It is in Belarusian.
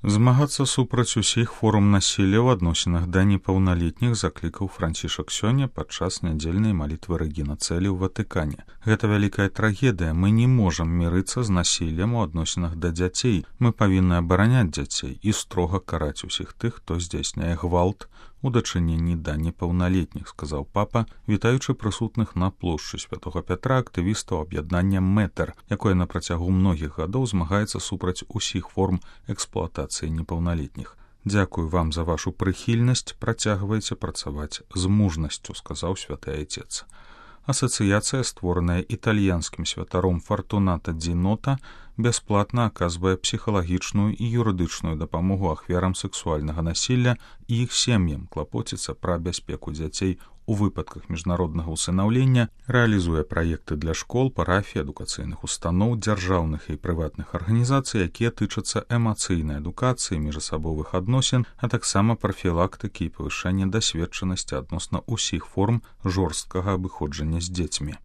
Змагацца супраць усіх форм насілля ў адносінах да непаўналетніх заклікаў Францішак сёння падчас нядзельнай малітвы Рэгіна Цэлі ў Ватыкане. Гэта вялікая трагедыя. Мы не можам мірыцца з насіллем у адносінах да дзяцей. Мы павінны абараняць дзяцей і строга караць усіх тых, хто здзяйсняе гвалт у дачыненні да непаўналетніх, сказаў папа, вітаючы прысутных на плошчы Святога Пятра актывістаў аб'яднання Мэтэр, якое на працягу многіх гадоў змагаецца супраць усіх форм эксплуатацыі непаўналетніх. Дзякую вам за вашу прыхільнасць, працягвайце працаваць з мужнасцю, сказаў святы айцец. Асацыяцыя, створаная італьянскім святаром Фартуната Ді Нота, бясплатна аказвае псіхалагічную і юрыдычную дапамогу ахвярам сэксуальнага насілля і іх сем'ям, клапоціцца пра бяспеку дзяцей у выпадках міжнароднага ўсынаўлення, рэалізуе праекты для школ, парафій, адукацыйных устаноў, дзяржаўных і прыватных арганізацый, якія тычацца эмацыйнай адукацыі, міжасабовых адносін, а таксама прафілактыкі і павышэння дасведчанасці адносна ўсіх форм жорсткага абыходжання з дзецьмі.